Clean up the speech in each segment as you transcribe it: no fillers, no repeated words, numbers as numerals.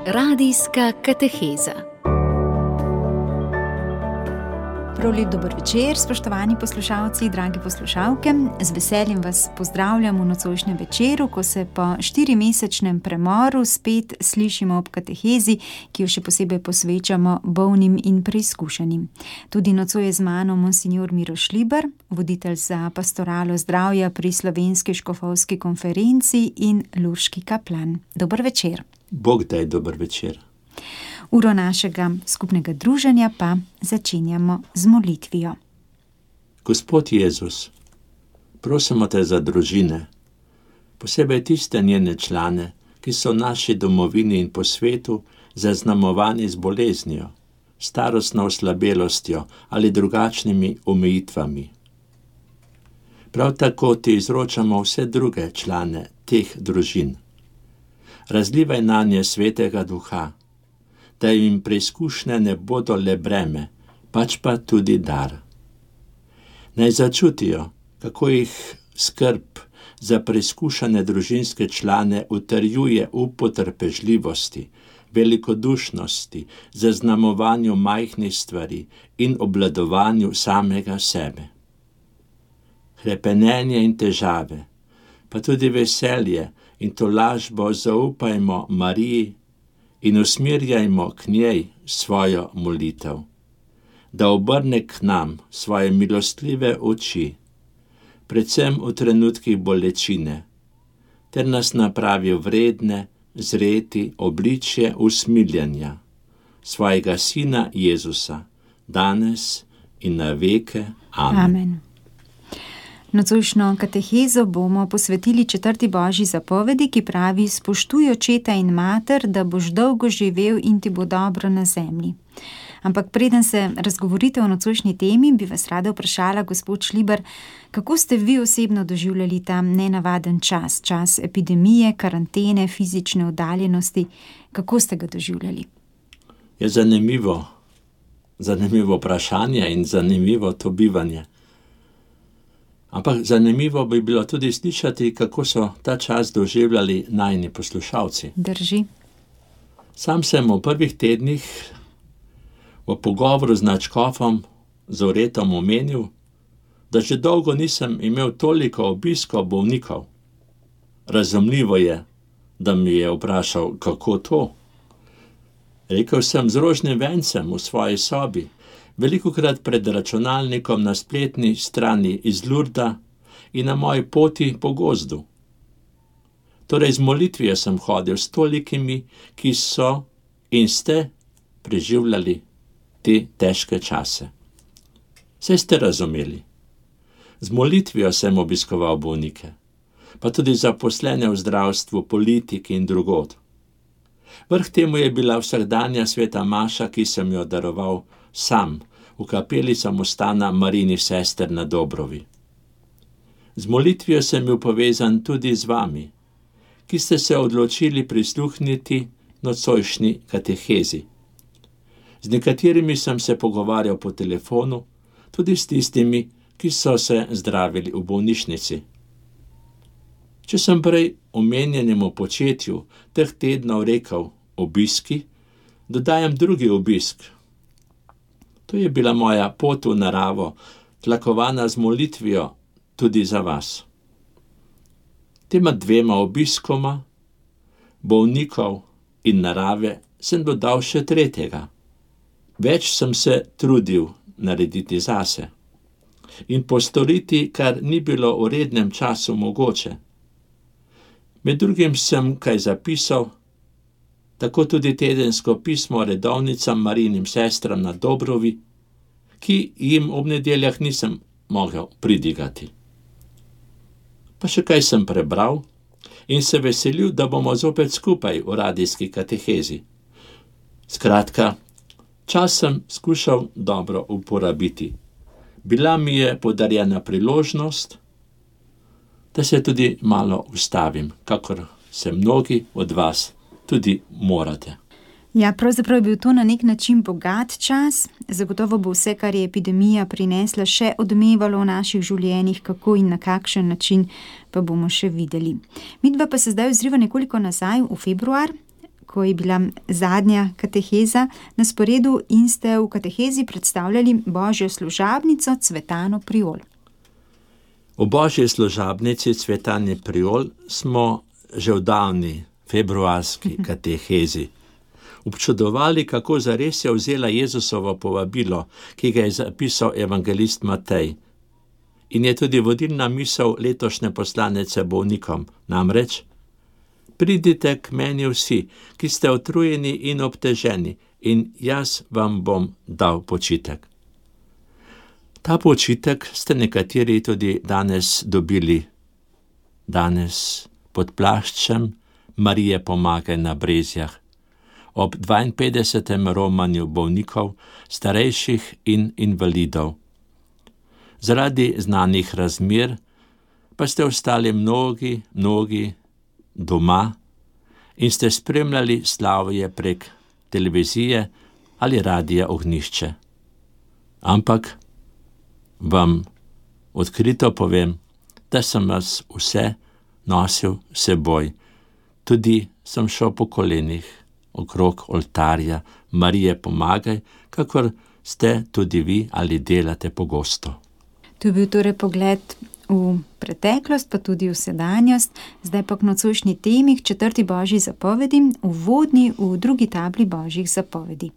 Radijska kateheza. Prav lep dober večer, spoštovani poslušalci, dragi poslušalke. Z veseljem vas pozdravljam v nocojšnjem večeru, ko se po 4-mesečnem premoru spet slišimo ob katehezi, ki jo še posebej posvečamo bolnim in preizkušenim. Tudi nocoj je z mano monsignor Miro Šlibar, voditelj za pastoralo zdravja pri Slovenski škofovski konferenci in lurški kaplan. Dober večer. Bog daj dober večer. Uro našega skupnega druženja pa začenjamo z molitvijo. Gospod Jezus, prosimo te za družine, posebej tiste njene člane, ki so v naši domovini in po svetu zaznamovani z boleznijo, starostno oslabelostjo ali drugačnimi omejitvami. Prav tako ti izročamo vse druge člane teh družin. Razlivaj nanje svetega duha, da jim preizkušnje ne bodo le breme, pač pa tudi dar. Naj začutijo, kako jih skrb za preizkušane družinske člane utrjuje v potrpežljivosti, velikodušnosti, zaznamovanju majhnih stvari in obvladovanju samega sebe. Hrepenenje in težave, pa tudi veselje in tolažbo zaupajmo Mariji in usmerjajmo k njej svojo molitev, da obrne k nam svoje milostljive oči, predvsem v trenutkih bolečine, ter nas napravi vredne zreti obličje usmiljanja svojega Sina Jezusa, danes in na veke. Amen. Amen. Nocojšnjo katehezo bomo posvetili 4. božji zapovedi, ki pravi: spoštuj očeta in mater, da boš dolgo živel in ti bo dobro na zemlji. Ampak preden se razgovorite o nocojšnji temi, bi vas rada vprašala, gospod Šlibar, kako ste vi osebno doživljali ta nenavaden čas epidemije, karantene, fizične oddaljenosti, kako ste ga doživljali? Je zanimivo vprašanje in zanimivo to bivanje. Ampak zanimivo bi bilo tudi slišati, kako so ta čas doživljali najini poslušalci. Drži. Sam sem v prvih tednih v pogovoru z nadškofom Zoretom omenil, da že dolgo nisem imel toliko obiskov bolnikov. Razumljivo je, da mi je vprašal, kako to. Rekel sem: z rožnim vencem v svoji sobi, velikokrat pred računalnikom na spletni strani iz Lurda in na moji poti po gozdu. Torej z molitvijo sem hodil s tolikimi, ki so in ste preživljali te težke čase. Saj ste razumeli. Z molitvijo sem obiskoval bolnike, pa tudi zaposlene v zdravstvu, politiki in drugod. Vrh temu je bila vsakdanja sveta maša, ki sem jo daroval sam v kapeli samostana Marijinih sester na Dobrovi. Z molitvijo sem bil povezan tudi z vami, ki ste se odločili prisluhniti nocojšnji katehezi. Z nekaterimi sem se pogovarjal po telefonu, tudi s tistimi, ki so se zdravili v bolnišnici. Če sem prej omenjenemu početju teh tednov rekel obiski, dodajam drugi obisk. To je bila moja pot v naravo, tlakovana z molitvijo tudi za vas. Tema 2 obiskoma, bolnikov in narave, sem dodal še 3. Več sem se trudil narediti zase in postoriti, kar ni bilo v rednem času mogoče. Med drugim sem kaj zapisal, tako tudi tedensko pismo redovnicam Marijinim sestram na Dobrovi, ki jim ob nedeljah nisem mogel pridigati. Pa še kaj sem prebral in se veselil, da bomo zopet skupaj v radijski katehezi. Skratka, čas sem skušal dobro uporabiti. Bila mi je podarjena priložnost, da se tudi malo ustavim, kakor se mnogi od vas tudi morate. Ja, pravzaprav je bil to na nek način bogat čas. Zagotovo bo vse, kar je epidemija prinesla, še odmevalo v naših življenjih, kako in na kakšen način, pa bomo še videli. Midva pa se zdaj ozriva nekoliko nazaj v februar, ko je bila zadnja kateheza na sporedu in ste v katehezi predstavljali Božjo služabnico Cvetano Priol. V Božji služabnici Cvetane Priol smo že v davni februarski katehezi občudovali, kako zares je vzela Jezusovo povabilo, ki ga je zapisal evangelist Matej. In je tudi vodilna misel letošnje poslanice bolnikom, namreč: pridite k meni vsi, ki ste utrujeni in obteženi, in jaz vam bom dal počitek. Ta počitek ste nekateri tudi danes dobili. Danes pod plaščem Marije Pomagaj na Brezjah, ob 52. romanju bolnikov, starejših in invalidov. Zaradi znanih razmer pa ste ostali mnogi doma in ste spremljali slavje prek televizije ali radia Ognjišče. Ampak vam odkrito povem, da sem vas vse nosil s seboj. Tudi sem šel po kolenih okrog oltarja Marije Pomagaj, kakor ste tudi vi ali delate pogosto. To je bil torej pogled v preteklost, pa tudi v sedanjost. Zdaj pa k nocojšnji temi, k 4. Božji zapovedi, uvodni v 2. tabli Božjih zapovedi.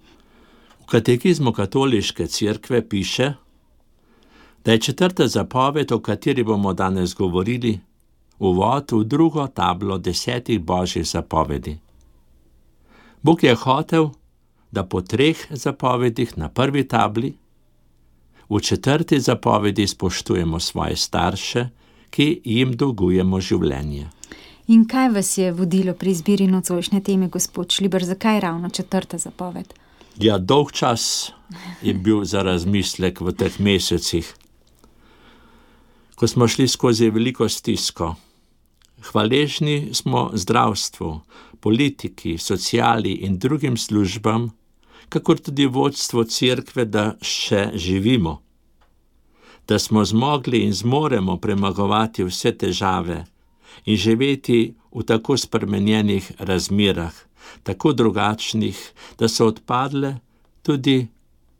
V katekizmu katoliške cerkve piše, da je 4. zapoved, o kateri bomo danes govorili, uvod v 2. tablo 10. Božjih zapovedi. Bog je hotel, da po 3 zapovedih na prvi tabli v 4. zapovedi spoštujemo svoje starše, ki jim dolgujemo življenje. In kaj vas je vodilo pri izbiri nocojšnje teme, gospod Šliber, zakaj ravno 4. zapoved? Ja, dolg čas je bil za razmislek v teh mesecih, ko smo šli skozi veliko stisko. Hvaležni smo zdravstvu, politiki, sociali in drugim službam, kakor tudi vodstvo cerkve, da še živimo, da smo zmogli in zmoremo premagovati vse težave in živeti v tako spremenjenih razmerah, tako drugačnih, da so odpadle tudi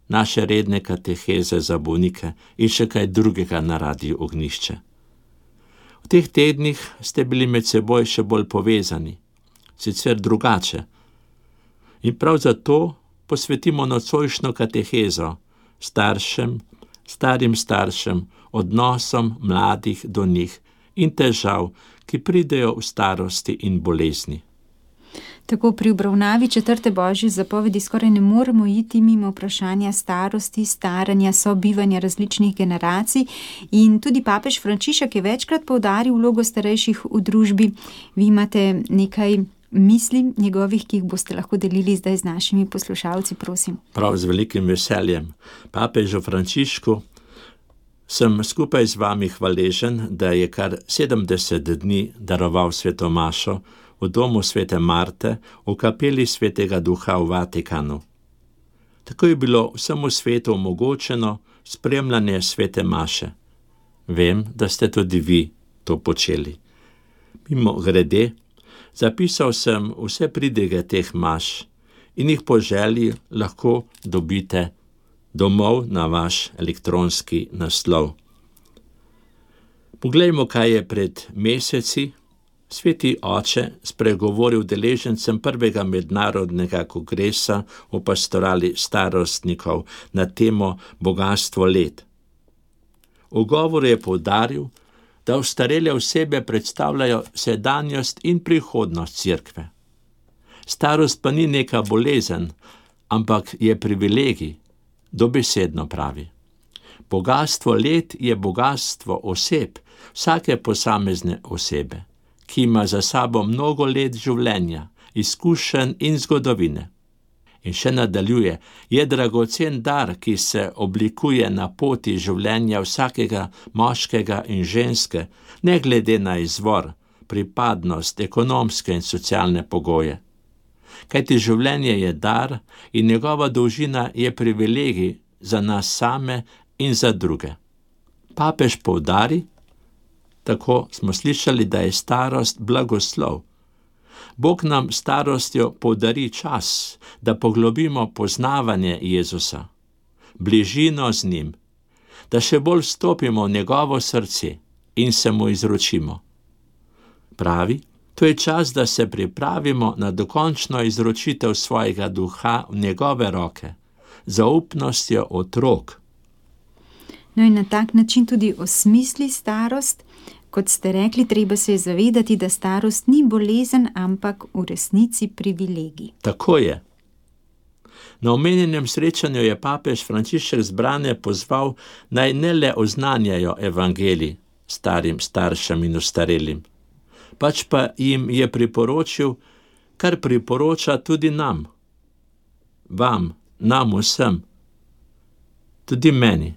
naše redne kateheze za bolnike in še kaj drugega na radiu Ognjišče. V teh tednih ste bili med seboj še bolj povezani, sicer drugače. In prav zato posvetimo nocojšnjo katehezo starim staršem, odnosom mladih do njih in težav, ki pridejo v starosti in bolezni. Tako pri obravnavi 4. Božje zapovedi skoraj ne moremo iti mimo vprašanja starosti, staranja, sobivanja različnih generacij, in tudi papež Frančišek je večkrat poudaril vlogo starejših v družbi. Vi imate nekaj misli njegovih, ki jih boste lahko delili zdaj z našimi poslušalci, prosim. Prav z velikim veseljem. Papežu Frančišku sem skupaj z vami hvaležen, da je kar 70 dni daroval sveto mašo v domu svete Marte, v kapeli svetega Duha v Vatikanu. Tako je bilo vsemu svetu omogočeno spremljanje svete maše. Vem, da ste tudi vi to počeli. Mimogrede, zapisal sem vse pridige teh maš in jih po želji lahko dobite domov na vaš elektronski naslov. Poglejmo, kaj je pred meseci Sveti Oče spregovoril udeležencem 1. mednarodnega kongresa o pastorali starostnikov na temo bogastvo let. V govoru je poudaril, da ostarele osebe predstavljajo sedanjost in prihodnost cerkve. Starost pa ni neka bolezen, ampak je privilegij, dobesedno pravi. Bogastvo let je bogastvo oseb, vsake posamezne osebe, ki ima za sabo mnogo let življenja, izkušenj in zgodovine. In še nadaljuje, je dragocen dar, ki se oblikuje na poti življenja vsakega moškega in ženske, ne glede na izvor, pripadnost, ekonomske in socialne pogoje. Kajti življenje je dar in njegova dolžina je privilegij za nas same in za druge. Papež poudari, tako smo slišali, da je starost blagoslov. Bog nam starostjo podari čas, da poglobimo poznavanje Jezusa, bližino z njim, da še bolj stopimo v njegovo srce in se mu izročimo. Pravi, to je čas, da se pripravimo na dokončno izročitev svojega duha v njegove roke, zaupnostjo otrok. No in na tak način tudi osmisli starost. Kot ste rekli, treba se je zavedati, da starost ni bolezen, ampak v resnici privilegij. Tako je. Na omenjenem srečanju je papež Frančišek zbrane pozval, naj ne le oznanjajo evangelij starim staršem in ostarelim, pač pa jim je priporočil, kar priporoča tudi nam, vam, nam vsem, tudi meni.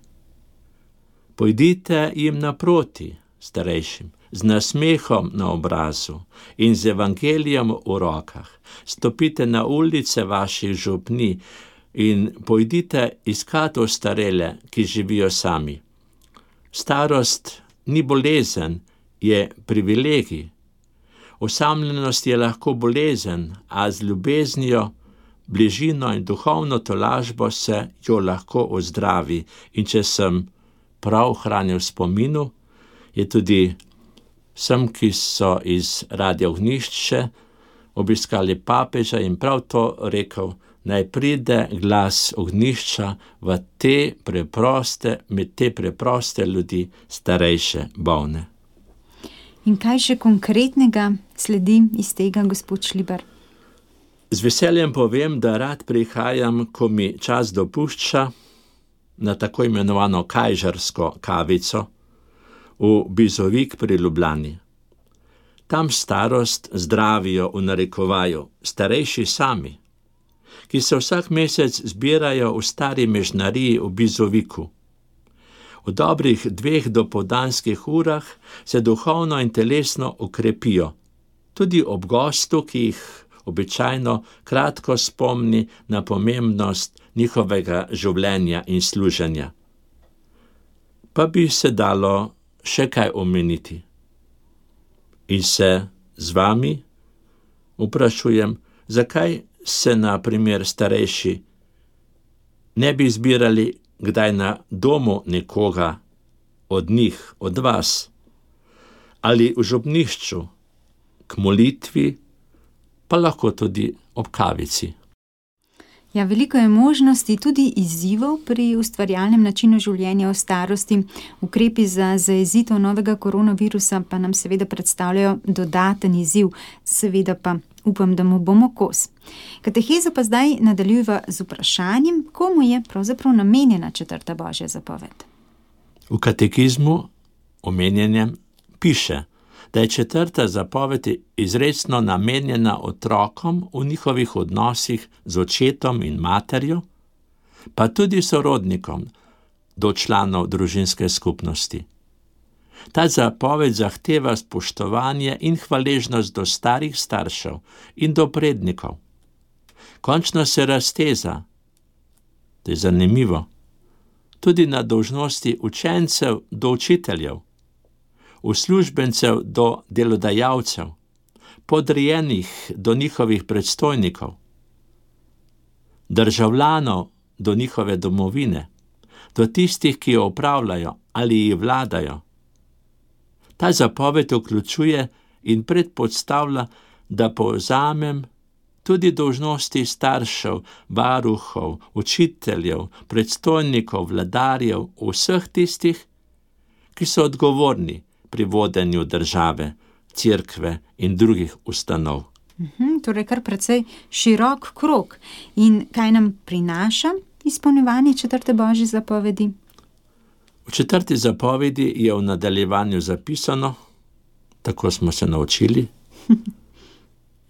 Pojdite jim naproti, starejšim, z nasmehom na obrazu in z evangelijem v rokah. Stopite na ulice vaših župni in pojdite iskat ostarele, ki živijo sami. Starost ni bolezen, je privilegij. Osamljenost je lahko bolezen, a z ljubeznijo, bližino in duhovno tolažbo se jo lahko ozdravi. In če sem prav hranil v spominu, je tudi vsem, ki so iz Radia Ognjišče obiskali papeža in prav to rekel, naj pride glas Ognjišča med te preproste ljudi, starejše, bolne. In kaj še konkretnega sledi iz tega, gospod Šlibar? Z veseljem povem, da rad prihajam, ko mi čas dopušča, na tako imenovano kajžarsko kavico v Bizovik pri Ljubljani. Tam starost zdravijo v narekovaju starejši sami, ki se vsak mesec zbirajo v stari mežnariji v Bizoviku. V dobrih 2 dopoldanskih urah se duhovno in telesno okrepijo, tudi ob gostu, ki jih običajno kratko spomni na pomembnost njihovega življenja in služenja. Pa bi se dalo še kaj omeniti. In se z vami vprašujem, zakaj se na primer starejši ne bi zbirali kdaj na domu nekoga od njih, od vas, ali v župnišču, k molitvi, pa lahko tudi ob kavici. Ja, veliko je možnosti, tudi izzivov pri ustvarjalnem načinu življenja v starosti. Ukrepi za zajezitev novega koronavirusa pa nam seveda predstavljajo dodaten izziv, seveda pa upam, da mu bomo kos. Katehezo pa zdaj nadaljujeva z vprašanjem, komu je pravzaprav namenjena 4. Božja zapoved. V katekizmu omenjenem piše, da je 4. zapoved izrecno namenjena otrokom v njihovih odnosih z očetom in materjo, pa tudi sorodnikom do članov družinske skupnosti. Ta zapoved zahteva spoštovanje in hvaležnost do starih staršev in do prednikov. Končno se razteza, to je zanimivo, tudi na dolžnosti učencev do učiteljev, uslužbencev do delodajalcev, podrejenih do njihovih predstojnikov, državljanov do njihove domovine, do tistih, ki jo upravljajo ali ji vladajo. Ta zapoved vključuje in predpostavlja, da povzamem tudi dolžnosti staršev, varuhov, učiteljev, predstojnikov, vladarjev, vseh tistih, ki so odgovorni pri vodenju države, cerkve in drugih ustanov. Torej kar precej širok krog. In kaj nam prinaša izpolnjevanje 4. Božje zapovedi? V 4. zapovedi je v nadaljevanju zapisano, tako smo se naučili,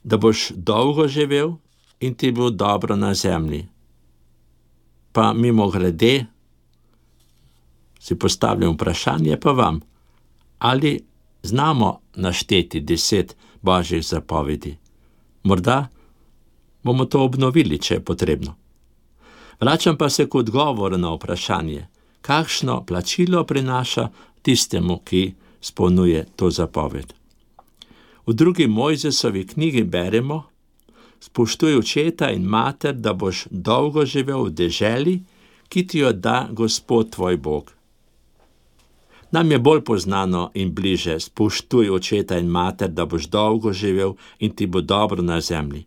da boš dolgo živel in ti bo dobro na zemlji. Pa mimogrede si postavljam vprašanje pa vam, ali znamo našteti 10 Božjih zapovedi. Morda bomo to obnovili, če je potrebno. Vračam pa se k odgovoru na vprašanje, kakšno plačilo prinaša tistemu, ki izpolnjuje to zapoved. V drugi Mojzesovi knjigi beremo: spoštuj očeta in mater, da boš dolgo živel v deželi, ki ti jo da Gospod tvoj Bog. Nam je bolj poznano in bliže: spoštuj očeta in mater, da boš dolgo živel in ti bo dobro na zemlji.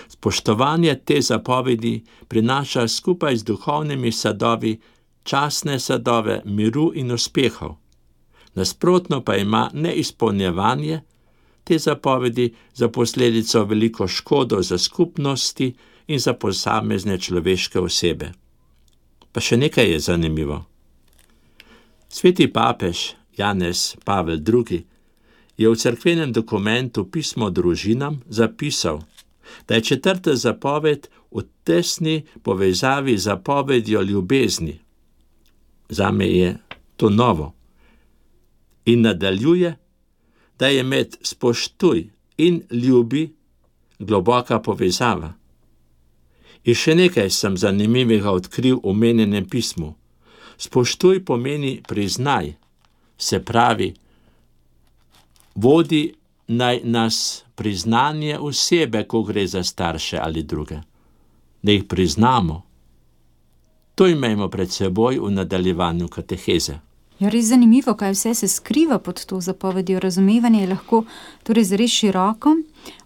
Spoštovanje te zapovedi prinaša skupaj z duhovnimi sadovi častne sadove miru in uspehov. Nasprotno pa ima neizpolnjevanje te zapovedi za posledico veliko škodo za skupnosti in za posamezne človeške osebe. Pa še nekaj je zanimivo. Sveti papež Janez Pavel II. Je v cerkvenem dokumentu Pismo družinam zapisal, da je 4. zapoved v tesni povezavi z zapovedjo ljubezni. Zame je to novo. In nadaljuje, da je med spoštuj in ljubi globoka povezava. In še nekaj sem zanimivega odkril v omenjenem pismu. Spoštuj pomeni priznaj, se pravi, vodi naj nas priznanje osebe, ko gre za starše ali druge. Da jih priznamo. To imejmo pred seboj v nadaljevanju kateheze. Je res zanimivo, kaj vse se skriva pod to zapovedjo. Razumevanje je lahko torej zares široko.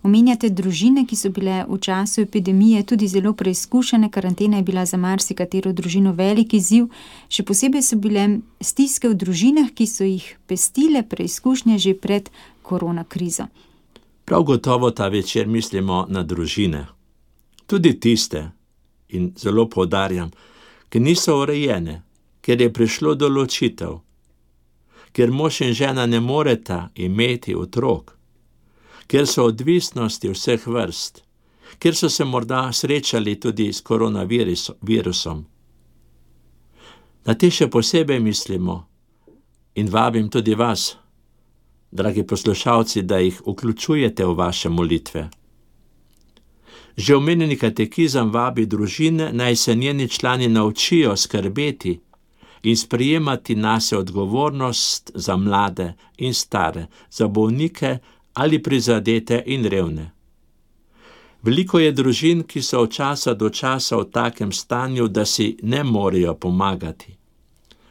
Omenjate družine, ki so bile v času epidemije tudi zelo preizkušene. Karantena je bila za marsikatero družino velik izziv. Še posebej so bile stiske v družinah, ki so jih pestile preizkušnje že pred korona krizo. Prav gotovo ta večer mislimo na družine. Tudi tiste, in zelo poudarjam, ki niso urejene, ker je prišlo do ločitev, ker mož in žena ne moreta imeti otrok, ker so odvisnosti vseh vrst, ker so se morda srečali tudi s koronavirusom. Na te še posebej mislimo in vabim tudi vas, dragi poslušalci, da jih vključujete v vaše molitve. Že omenjeni katekizem vabi družine, naj se njeni člani naučijo skrbeti in sprejemati nase odgovornost za mlade in stare, za bolnike ali prizadete in revne. Veliko je družin, ki so od časa do časa v takem stanju, da si ne morejo pomagati.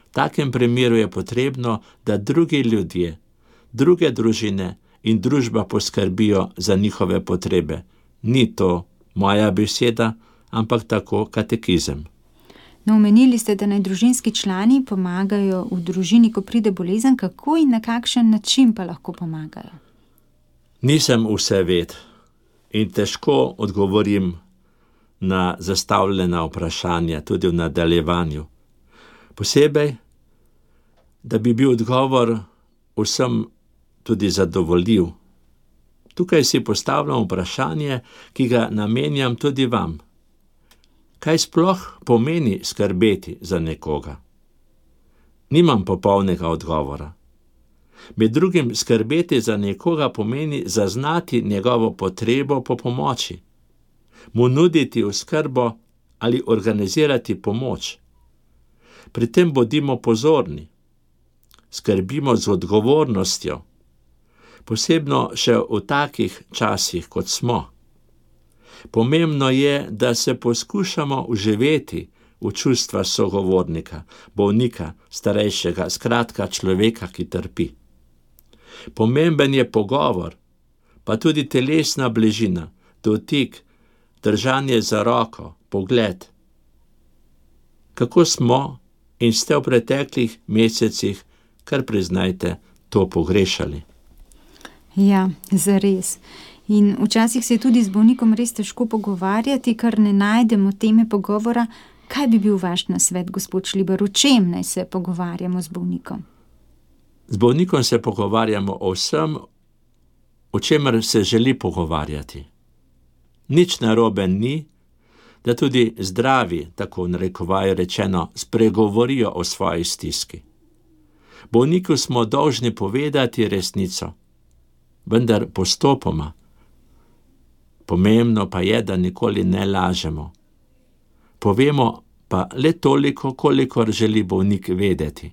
V takem primeru je potrebno, da drugi ljudje, druge družine in družba poskrbijo za njihove potrebe. Ni to moja beseda, ampak tako katekizem. No, omenili ste, da naj družinski člani pomagajo v družini, ko pride bolezen. Kako in na kakšen način pa lahko pomagajo? Nisem vseved in težko odgovorim na zastavljena vprašanja, tudi v nadaljevanju. Posebej, da bi bil odgovor vsem tudi zadovoljiv. Tukaj si postavljam vprašanje, ki ga namenjam tudi vam. Kaj sploh pomeni skrbeti za nekoga? Nimam popolnega odgovora. Med drugim skrbeti za nekoga pomeni zaznati njegovo potrebo po pomoči, mu nuditi oskrbo ali organizirati pomoč. Pri tem bodimo pozorni, skrbimo z odgovornostjo, posebno še v takih časih, kot smo. Pomembno je, da se poskušamo vživeti v čustva sogovornika, bolnika, starejšega, skratka človeka, ki trpi. Pomemben je pogovor, pa tudi telesna bližina, dotik, držanje za roko, pogled. Kako smo in ste v preteklih mesecih, kar priznajte, to pogrešali? Ja, zares. In včasih se je tudi z bolnikom res težko pogovarjati, ker ne najdemo teme pogovora. Kaj bi bil vaš nasvet, gospod Šlibar, o čem naj se pogovarjamo z bolnikom? Z bolnikom se pogovarjamo o vsem, o čemer se želi pogovarjati. Nič narobe ni, da tudi zdravi, tako narekovajo rečeno, spregovorijo o svoji stiski. Bolniku smo dolžni povedati resnico, vendar postopoma. Pomembno pa je, da nikoli ne lažemo. Povemo pa le toliko, kolikor želi bolnik vedeti.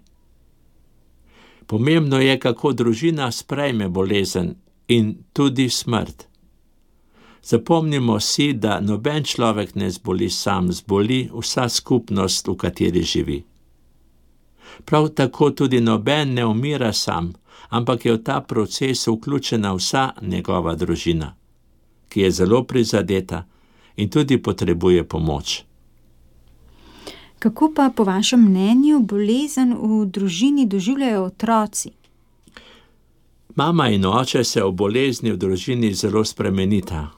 Pomembno je, kako družina sprejme bolezen in tudi smrt. Zapomnimo si, da noben človek ne zboli sam, zboli vsa skupnost, v kateri živi. Prav tako tudi noben ne umira sam, ampak je v ta proces vključena vsa njegova družina, ki je zelo prizadeta in tudi potrebuje pomoč. Kako pa po vašem mnenju bolezen v družini doživljajo otroci? Mama in oče se ob bolezni v družini zelo spremenita.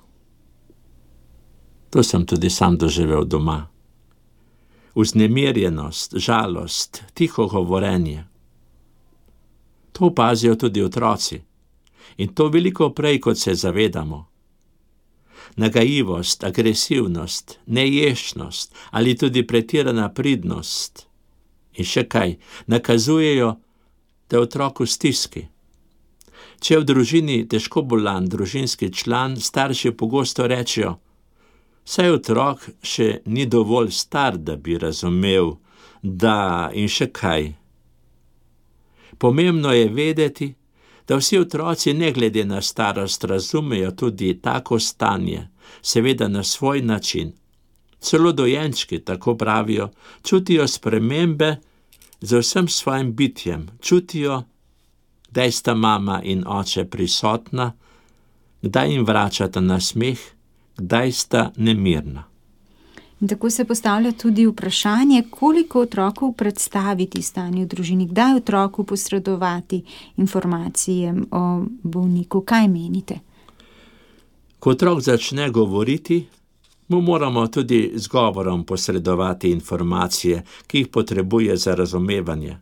To sem tudi sam doživel doma. Vznemirjenost, žalost, tiho govorenje. To opazijo tudi otroci. In to veliko prej, kot se zavedamo. Nagajivost, agresivnost, neješnost ali tudi pretirana pridnost. In še kaj, nakazujejo, da je otrok v stiski. Če je v družini težko bolan družinski član, starši pogosto rečejo: saj otrok še ni dovolj star, da bi razumel, da in še kaj. Pomembno je vedeti, da vsi otroci ne glede na starost razumejo tudi tako stanje, seveda na svoj način. Celo dojenčki, tako pravijo, čutijo spremembe z vsem svojim bitjem, čutijo, kdaj sta mama in oče prisotna, kdaj jim vračata nasmeh, kdaj sta nemirna. In tako se postavlja tudi vprašanje, koliko otroku predstaviti stanje v družini, kdaj otroku posredovati informacije o bolniku. Kaj menite? Ko otrok začne govoriti, mu moramo tudi z govorom posredovati informacije, ki jih potrebuje za razumevanje.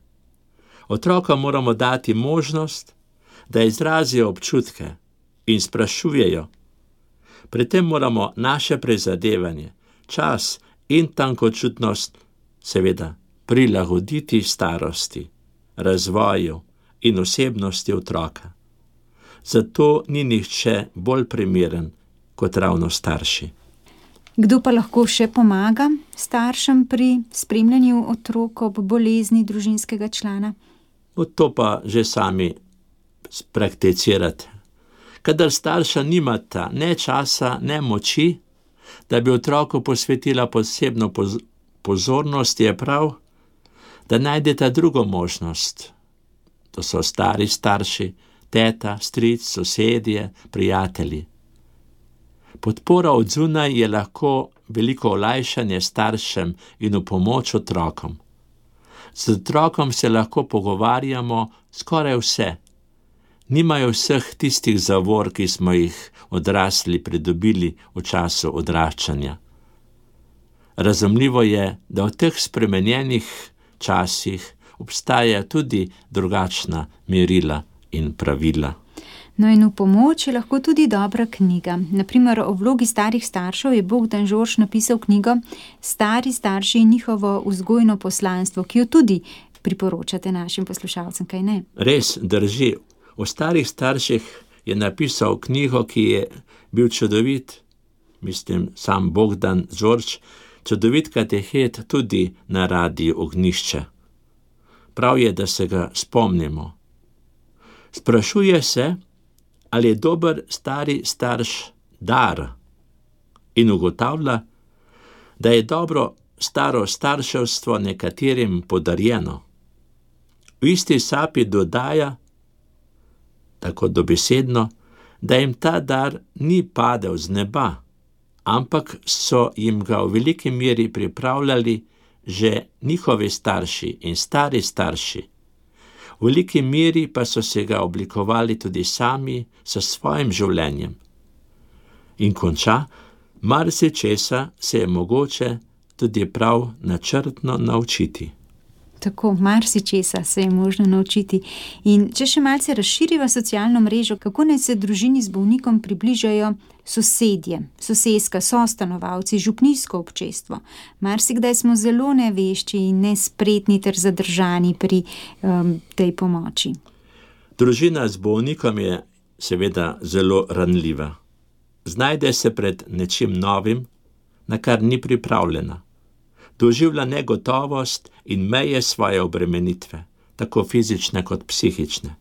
Otroka moramo dati možnost, da izrazijo občutke in sprašujejo. Pri tem moramo naše prizadevanje, čas in tankočutnost seveda prilagoditi starosti, razvoju in osebnosti otroka. Zato ni nihče bolj primeren kot ravno starši. Kdo pa lahko še pomaga staršem pri spremljanju otrok ob bolezni družinskega člana? To pa že sami prakticirate. Kadar starša nimata ne časa, ne moči, da bi otroku posvetila posebno pozornost, je prav, da najdeta drugo možnost. To so stari starši, teta, stric, sosedje, prijatelji. Podpora od zunaj je lahko veliko olajšanje staršem in v pomoč otrokom. Z otrokom se lahko pogovarjamo skoraj vse. Nimajo vseh tistih zavor, ki smo jih odrasli pridobili v času odraščanja. Razumljivo je, da v teh spremenjenih časih obstaja tudi drugačna merila in pravila. No in v pomoč je lahko tudi dobra knjiga. Naprimer, o vlogi starih staršev je Bogdan Žorž napisal knjigo Stari starši in njihovo vzgojno poslanstvo, ki jo tudi priporočate našim poslušalcem, kaj ne? Res drži. O starih starših je napisal knjigo, ki je bil čudovit, sam Bogdan Žorž, čudovit katehet tudi na Radiu Ognjišče. Prav je, da se ga spomnimo. Sprašuje se, ali je dober stari starš dar, in ugotavlja, da je dobro staro starševstvo nekaterim podarjeno. V isti sapi dodaja, tako dobesedno, da jim ta dar ni padel z neba, ampak so jim ga v veliki meri pripravljali že njihovi starši in stari starši. V veliki meri pa so se ga oblikovali tudi sami s svojim življenjem. In konča, marsičesa se je mogoče tudi prav načrtno naučiti. Tako, marsičesa se je možno naučiti. In če še malce razširiva socialno mrežo, kako naj se družini z bolnikom približajo sosedje, soseska, sostanovalci, župnijsko občestvo. Marsikdaj smo zelo nevešči in nespretni ter zadržani pri tej pomoči. Družina z bolnikom je seveda zelo ranljiva. Znajde se pred nečim novim, na kar ni pripravljena. Doživlja negotovost in meje svoje obremenitve, tako fizične kot psihične.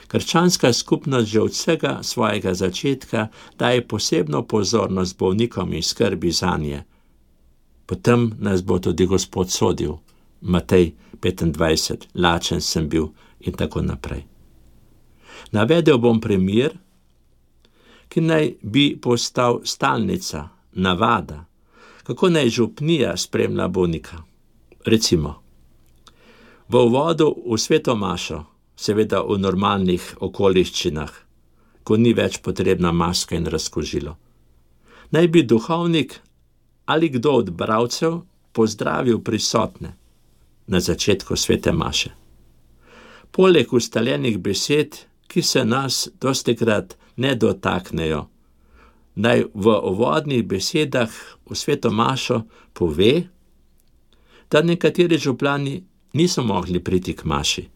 Krščanska skupnost že od vsega svojega začetka daje posebno pozornost bolnikom in skrbi zanje. Potem nas bo tudi Gospod sodil. Matej 25, lačen sem bil in tako naprej. Navedel bom primer, ki naj bi postal stalnica, navada, kako naj župnija spremlja bolnika. Recimo, v uvodu v sveto mašo, seveda v normalnih okoliščinah, ko ni več potrebna maska in razkožilo, naj bi duhovnik ali kdo od bralcev pozdravil prisotne na začetku svete maše. Poleg ustaljenih besed, ki se nas dostikrat ne dotaknejo, naj v uvodnih besedah v sveto mašo pove, da nekateri župani niso mogli priti k maši.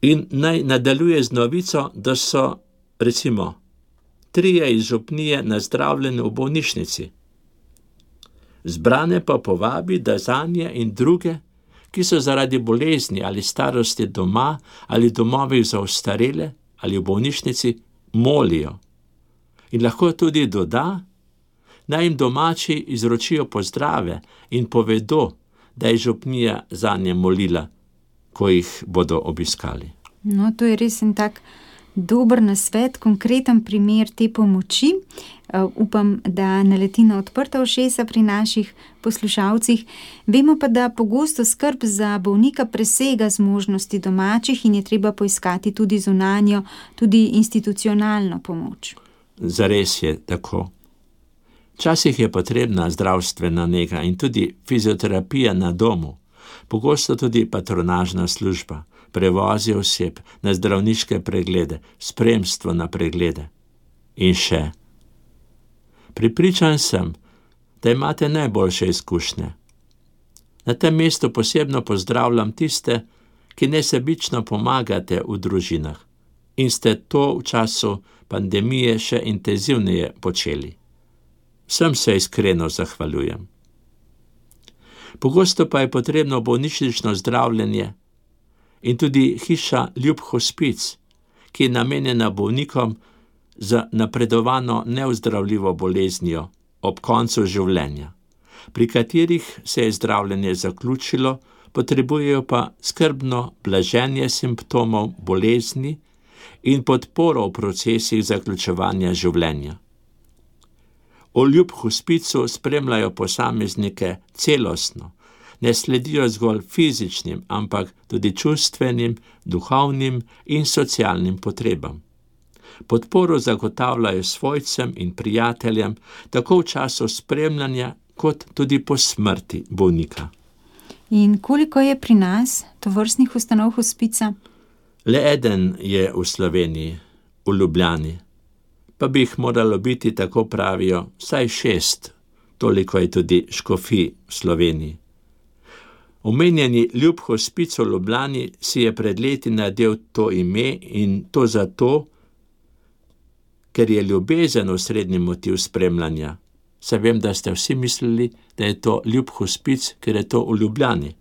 In naj nadaljuje z novico, da so, recimo, 3 iz župnije nazdravljeni v bolnišnici. Zbrane pa povabi, da zanje in druge, ki so zaradi bolezni ali starosti doma ali domovih za ostarele ali v bolnišnici, molijo. In lahko tudi doda, naj jim domači izročijo pozdrave in povedo, da je župnija zanje molila, ko jih bodo obiskali. No, to je res en tak dober nasvet, konkreten primer te pomoči. Upam, da naleti na odprta ušesa pri naših poslušalcih. Vemo pa, da pogosto skrb za bolnika presega zmožnosti domačih in je treba poiskati tudi zunanjo, tudi institucionalno pomoč. Zares je tako. Včasih je potrebna zdravstvena nega in tudi fizioterapija na domu, pogosto tudi patronažna služba, prevozi oseb na zdravniške preglede, spremstvo na preglede. In še. Prepričan sem, da imate najboljše izkušnje. Na tem mestu posebno pozdravljam tiste, ki nesebično pomagate v družinah in ste to v času pandemije še intenzivneje počeli. Vsem se iskreno zahvaljujem. Pogosto pa je potrebno bolnišnično zdravljenje in tudi hiša Ljub hospic, ki je namenjena bolnikom z napredovano neozdravljivo boleznijo ob koncu življenja, pri katerih se je zdravljenje zaključilo, potrebujejo pa skrbno blaženje simptomov bolezni in podporo v procesih zaključevanja življenja. V Ljub hospicu spremljajo posameznike celostno, ne sledijo zgolj fizičnim, ampak tudi čustvenim, duhovnim in socialnim potrebam. Podporo zagotavljajo svojcem in prijateljem, tako v času spremljanja, kot tudi po smrti bolnika. In koliko je pri nas tovrstnih ustanov hospica? Le eden je v Sloveniji, v Ljubljani, pa bi jih moralo biti, tako pravijo, vsaj 6, toliko je tudi škofij v Sloveniji. Omenjeni Ljub hospic v Ljubljani si je pred leti nadel to ime in to zato, ker je ljubezen osrednji motiv spremljanja. Saj vem, da ste vsi mislili, da je to Ljub hospic, ker je to v Ljubljani.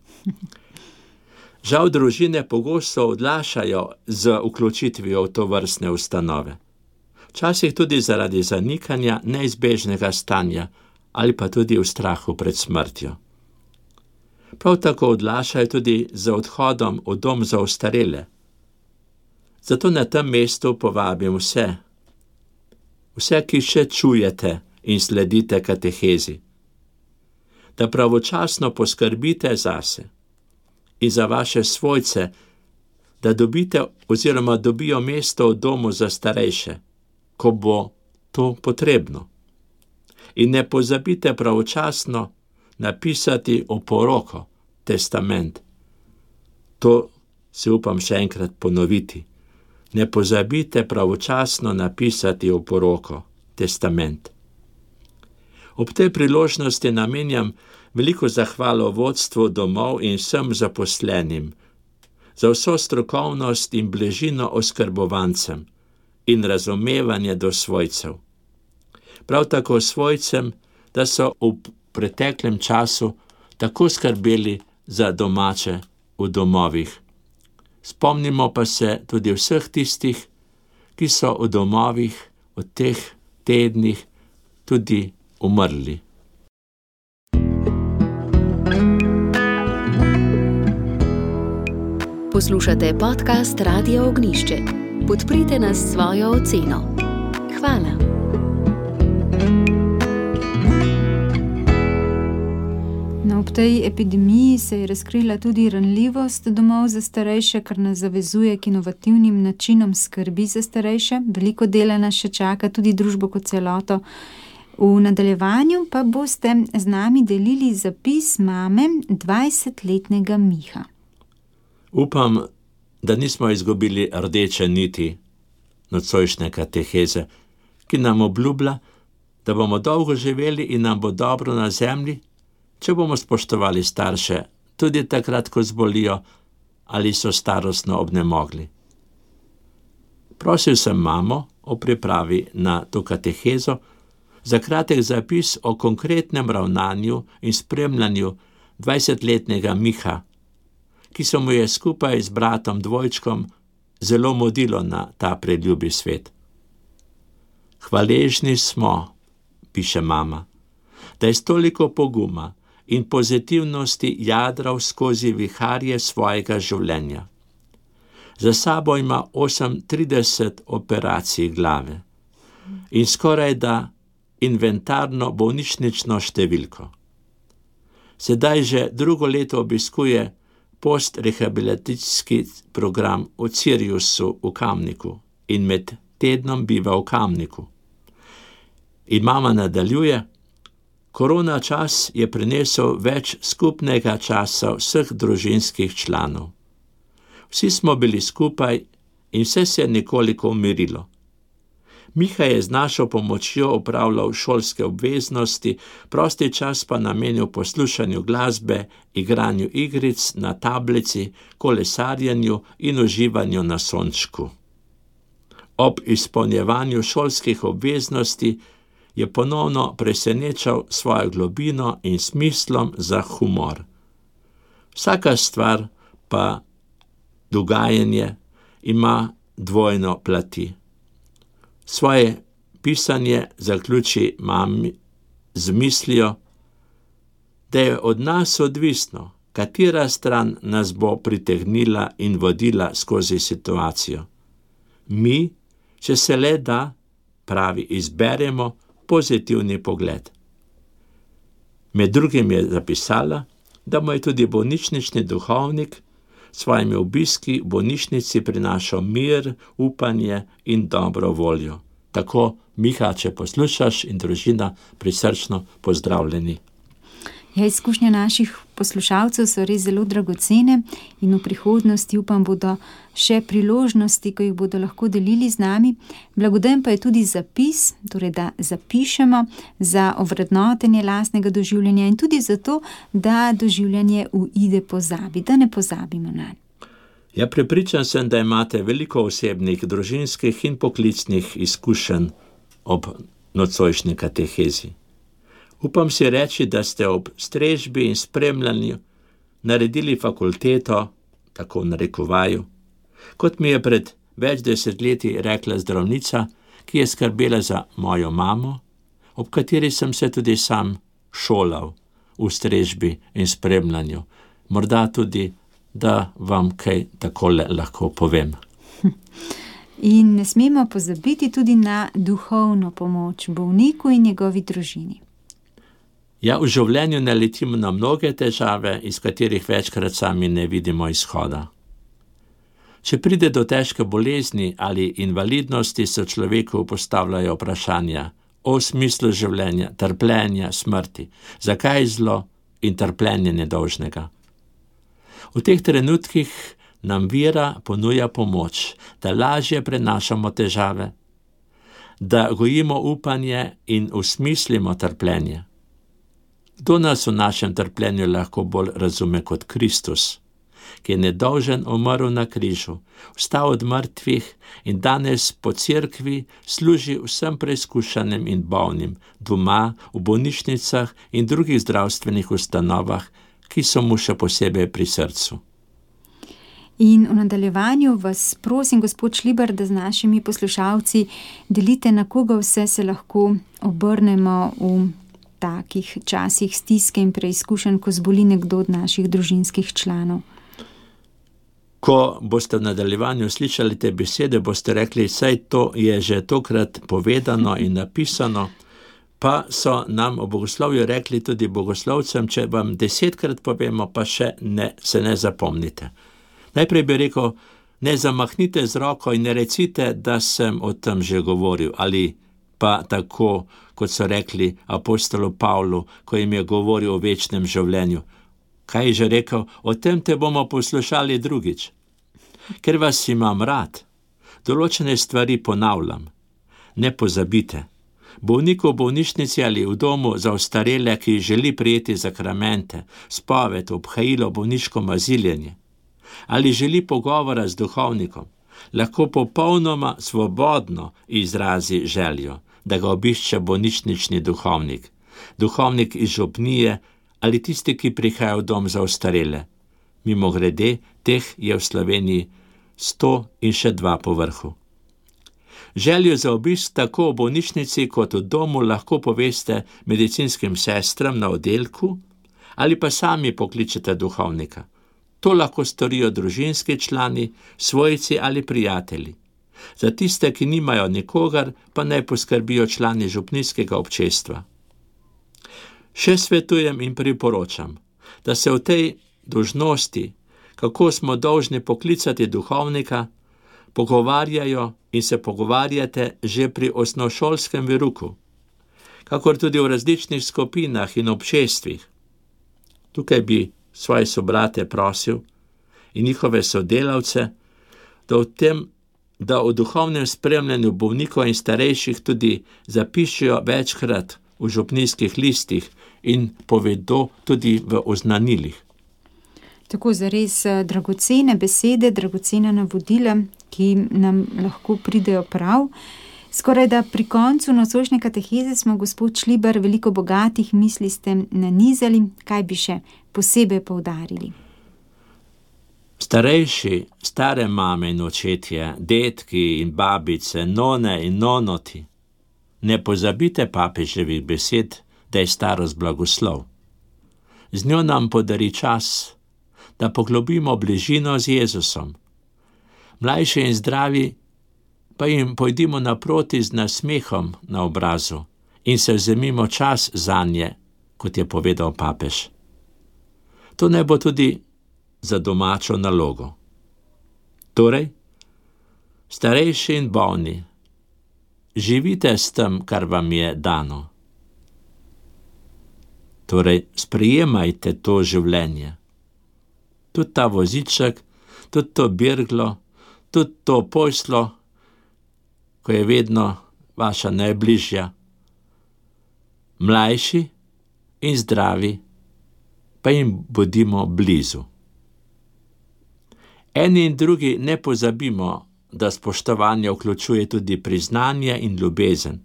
Žal družine pogosto odlašajo z vključitvijo v to vrstne ustanove. Včasih tudi zaradi zanikanja neizbežnega stanja ali pa tudi v strahu pred smrtjo. Prav tako odlašajo tudi z odhodom v dom za ostarele. Zato na tem mestu povabim vse, ki še čujete in sledite katehezi, da pravočasno poskrbite zase in za vaše svojce, da dobite oziroma dobijo mesto v domu za starejše, ko bo to potrebno. In ne pozabite pravočasno napisati oporoko, testament. To si upam še enkrat ponoviti. Ne pozabite pravočasno napisati oporoko, testament. Ob tej priložnosti namenjam veliko zahvalo vodstvu domov in vsem zaposlenim za vso strokovnost in bližino oskrbovancem in razumevanje do svojcev. Prav tako svojcem, da so v preteklem času tako skrbeli za domače v domovih. Spomnimo pa se tudi vseh tistih, ki so v domovih v teh tednih tudi umrli. Poslušate podcast Radia Ognjišče. Podprite nas s svojo oceno. Hvala. Ob tej epidemiji se je razkrila tudi ranljivost domov za starejše, kar nas zavezuje k inovativnim načinom skrbi za starejše. Veliko dela nas še čaka, tudi družbo kot celoto. V nadaljevanju pa boste z nami delili zapis mame 20-letnega Miha. Upam, da nismo izgubili rdeče niti nocojšnje kateheze, ki nam obljublja, da bomo dolgo živeli in nam bo dobro na zemlji, če bomo spoštovali starše, tudi takrat, ko zbolijo ali so starostno obnemogli. Prosil sem mamo o pripravi na to katehezo za kratek zapis o konkretnem ravnanju in spremljanju 20-letnega Miha, ki se mu je skupaj z bratom dvojčkom zelo modilo na ta preljubi svet. Hvaležni smo, piše mama, da je s toliko poguma in pozitivnosti jadral skozi viharje svojega življenja. Za sabo ima 38 operacij glave in skorajda inventarno bolnišnično številko. Sedaj že drugo leto obiskuje postrehabilitacijski program v Siriusu v Kamniku in med tednom biva v Kamniku. In mama nadaljuje: korona čas je prinesel več skupnega časa vseh družinskih članov. Vsi smo bili skupaj in vse se je nekoliko umirilo. Miha je z našo pomočjo opravljal šolske obveznosti, prosti čas pa namenil poslušanju glasbe, igranju igric na tablici, kolesarjenju in uživanju na sončku. Ob izpolnjevanju šolskih obveznosti je ponovno presenečal svojo globino in smislom za humor. Vsaka stvar pa dogajanje ima dvojno plati. Svoje pisanje zaključi mami z mislijo, da je od nas odvisno, katera stran nas bo pritegnila in vodila skozi situacijo. Mi, če se le da, pravi, izberemo pozitivni pogled. Med drugim je zapisala, da mu je tudi bolnišnični duhovnik s svojimi obiski v bolnišnici prinašal mir, upanje in dobro voljo. Tako, Miha, če poslušaš, in družina, prisrčno pozdravljeni. Izkušnje naših poslušalcev so res zelo dragocene in v prihodnosti, upam, bodo še priložnosti, ko jih bodo lahko delili z nami. Blagodajen pa je tudi zapis, torej da zapišemo za ovrednotenje lastnega doživljanja in tudi zato, da doživljanje uide pozabi, da ne pozabimo nanj. Ja, prepričan sem, da imate veliko osebnih, družinskih in poklicnih izkušenj ob nocojšnji katehezi. Upam si reči, da ste ob strežbi in spremljanju naredili fakulteto, tako v narekovaju, kot mi je pred več desetletji rekla zdravnica, ki je skrbela za mojo mamo, ob kateri sem se tudi sam šolal v strežbi in spremljanju. Morda tudi, da vam kaj takole lahko povem. In ne smemo pozabiti tudi na duhovno pomoč bolniku in njegovi družini. Ja, v življenju naletimo na mnoge težave, iz katerih večkrat sami ne vidimo izhoda. Če pride do težke bolezni ali invalidnosti, se človeku postavljajo vprašanja o smislu življenja, trpljenja, smrti, zakaj zlo in trpljenje nedolžnega. V teh trenutkih nam vera ponuja pomoč, da lažje prenašamo težave, da gojimo upanje in usmislimo trpljenje. Kdo nas v našem trpljenju lahko bolj razume kot Kristus, ki je nedolžen umrl na križu, vstal od mrtvih in danes po cerkvi služi vsem preizkušanim in bolnim, doma, v bolnišnicah in drugih zdravstvenih ustanovah, ki so mu še posebej pri srcu. In v nadaljevanju vas prosim, gospod Šlibar, da z našimi poslušalci delite, na koga vse se lahko obrnemo v takih časih stiske in preizkušenj, ko zboli nekdo od naših družinskih članov. Ko boste v nadaljevanju slišali te besede, boste rekli, saj to je že tokrat povedano in napisano, pa so nam v bogoslovju rekli tudi bogoslovcem, če vam 10-krat povemo, pa še se ne zapomnite. Najprej bi rekel, ne zamahnite z roko in ne recite, da sem o tem že govoril, ali pa tako, kot so rekli apostolu Pavlu, ko jim je govoril o večnem življenju. Kaj je že rekel? O tem te bomo poslušali drugič. Ker vas imam rad, določene stvari ponavljam. Ne pozabite. Bolnik v bolnišnici ali v domu za ostarele, ki želi prijeti zakramente, spoved, obhajilo, bolniško maziljenje, ali želi pogovora z duhovnikom, lahko popolnoma svobodno izrazi željo, da ga obišče bolnišnični duhovnik, duhovnik iz župnije ali tisti, ki prihaja v dom za ostarele. Mimogrede, teh je v Sloveniji 100 in še 2 po vrhu. Željo za obisk tako v bolnišnici kot v domu lahko poveste medicinskim sestram na oddelku ali pa sami pokličete duhovnika. To lahko storijo družinski člani, svojci ali prijatelji. Za tiste, ki nimajo nikogar, pa naj poskrbijo člani župnijskega občestva. Še svetujem in priporočam, da se v tej dolžnosti, kako smo dolžni poklicati duhovnika, pogovarjajo in se pogovarjate že pri osnovnošolskem veruku, kakor tudi v različnih skupinah in občestvih. Tukaj bi svoje sobrate prosil in njihove sodelavce, da v duhovnem spremljanju bolnikov in starejših tudi zapišijo večkrat v župnijskih listih in povedo tudi v oznanilih. Tako zares dragocene besede, dragocena navodila, ki nam lahko pridejo prav. Skoraj da pri koncu nocojšnje kateheze smo, gospod Šlibar, veliko bogatih misli ste nanizali. Kaj bi še posebej poudarili? Starejši, stare mame in očetje, dedki in babice, none in nonoti, ne pozabite papeževih besed, da je starost blagoslov. Z njo nam podari čas, da poglobimo bližino z Jezusom. Mlajši in zdravi pa jim pojdimo naproti z nasmehom na obrazu in se vzemimo čas zanje, kot je povedal papež. To ne bo tudi za domačo nalogo. Torej, starejši in bolni, živite s tem, kar vam je dano. Torej, sprejemajte to življenje. Tudi ta voziček, tudi to birglo, tudi to poslo, ko je vedno vaša najbližja. Mlajši in zdravi, pa jim bodimo blizu. Eni in drugi ne pozabimo, da spoštovanje vključuje tudi priznanje in ljubezen.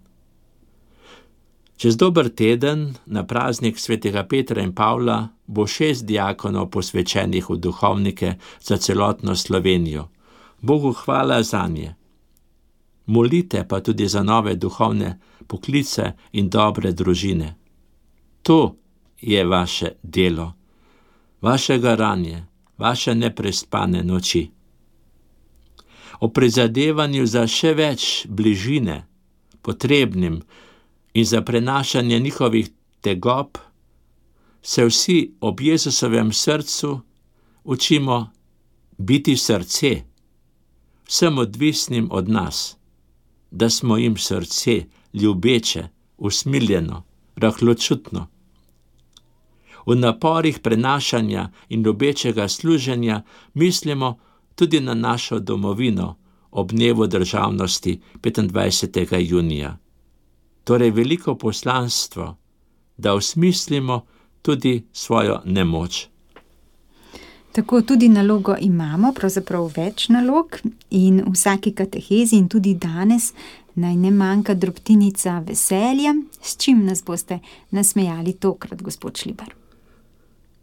Čez dober teden, na praznik svetega Petra in Pavla, bo 6 diakonov posvečenih v duhovnike za celotno Slovenijo. Bogu hvala zanje. Molite pa tudi za nove duhovne poklice in dobre družine. To je vaše delo, vaše garanje, vaše neprespane noči. O prizadevanju za še več bližine potrebnim in za prenašanje njihovih tegob se vsi ob Jezusovem srcu učimo biti srce, vsem odvisnim od nas, da smo jim srce ljubeče, usmiljeno, rahločutno. V naporih prenašanja in ljubečega služenja mislimo tudi na našo domovino ob dnevu državnosti 25. junija. Torej veliko poslanstvo, da osmislimo tudi svojo nemoč. Tako tudi nalogo imamo, pravzaprav več nalog, in v vsaki katehezi in tudi danes naj ne manjka drobtinica veselja. S čim nas boste nasmejali tokrat, gospod Šlibar?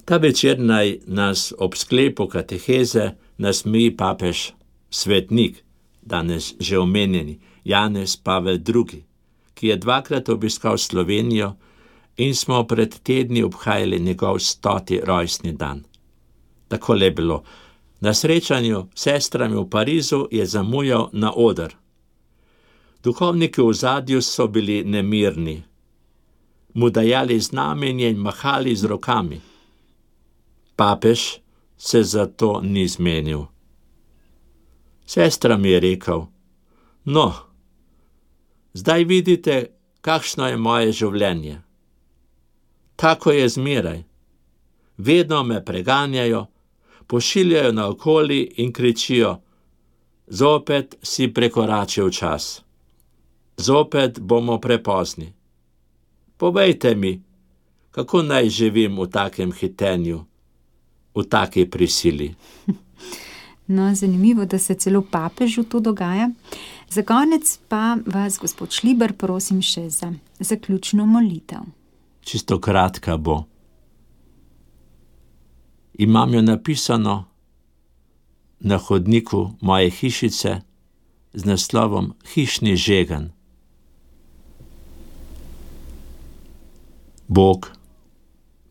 Ta večer naj nas ob sklepu kateheze nasmeji papež svetnik, danes že omenjeni Janez Pavel II., ki je 2-krat obiskal Slovenijo in smo pred tedni obhajali njegov 100. rojstni dan. Takole je bilo. Na srečanju s sestrami v Parizu je zamujal na oder. Duhovniki v ozadju so bili nemirni, mu dajali znamenje in mahali z rokami. Papež se zato ni zmenil. Sestra mi je rekel: no, zdaj vidite, kakšno je moje življenje. Tako je zmeraj. Vedno me preganjajo, pošiljajo naokoli in kričijo: zopet si prekoračil čas. Zopet bomo prepozni. Povejte mi, kako naj živim v takem hitenju, v taki prisili. No, zanimivo, da se celo papežu to dogaja. Za konec pa vas, gospod Šliber, prosim še za zaključno molitev. Čisto kratka bo. Imam jo napisano na hodniku moje hišice z naslovom Hišni žegen. Bog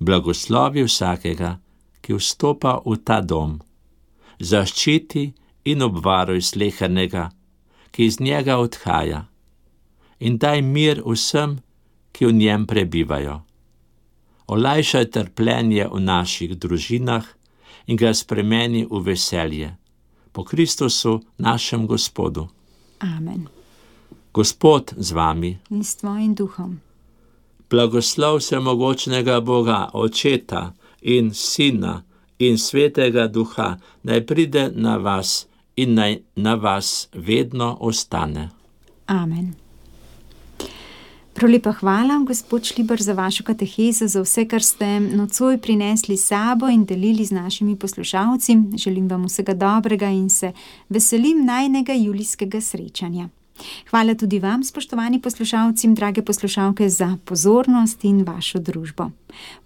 blagoslovi vsakega, ki vstopa v ta dom, zaščiti in obvaruj slehernega, ki iz njega odhaja, in daj mir vsem, ki v njem prebivajo. Olajšaj trpljenje v naših družinah in ga spremeni v veselje. Po Kristusu, našem Gospodu. Amen. Gospod z vami. In s tvojim duhom. Blagoslov vsemogočnega Boga, Očeta in Sina in Svetega Duha, naj pride na vas in naj na vas vedno ostane. Amen. Prav lepa hvala, gospod Šliber, za vašo katehezo, za vse, kar ste nocoj prinesli s sabo in delili z našimi poslušalci. Želim vam vsega dobrega in se veselim najnega julijskega srečanja. Hvala tudi vam, spoštovani poslušalci, drage poslušalke, za pozornost in vašo družbo.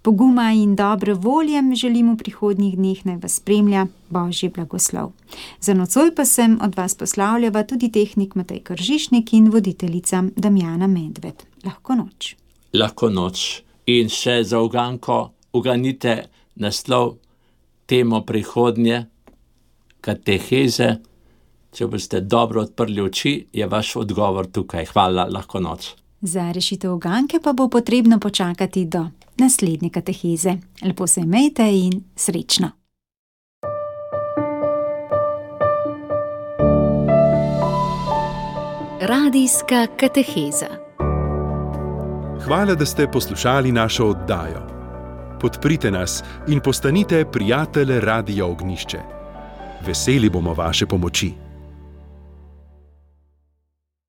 Poguma in dobre volje želim v prihodnjih dneh, naj vas spremlja Božji blagoslov. Za nocoj pa sem od vas poslavljava tudi tehnik Matej Kržišnik in voditeljica Damjana Medved. Lahko noč. Lahko noč. In še za uganko uganite naslov temo prihodnje kateheze. Če boste dobro odprli oči, je vaš odgovor tukaj. Hvala, lahko noč. Za rešitev uganke pa bo potrebno počakati do naslednje kateheze. Lepo se imejte in srečno. Radijska kateheza. Hvala, da ste poslušali našo oddajo. Podprite nas in postanite prijatelj Radia Ognjišče. Veseli bomo vaše pomoči.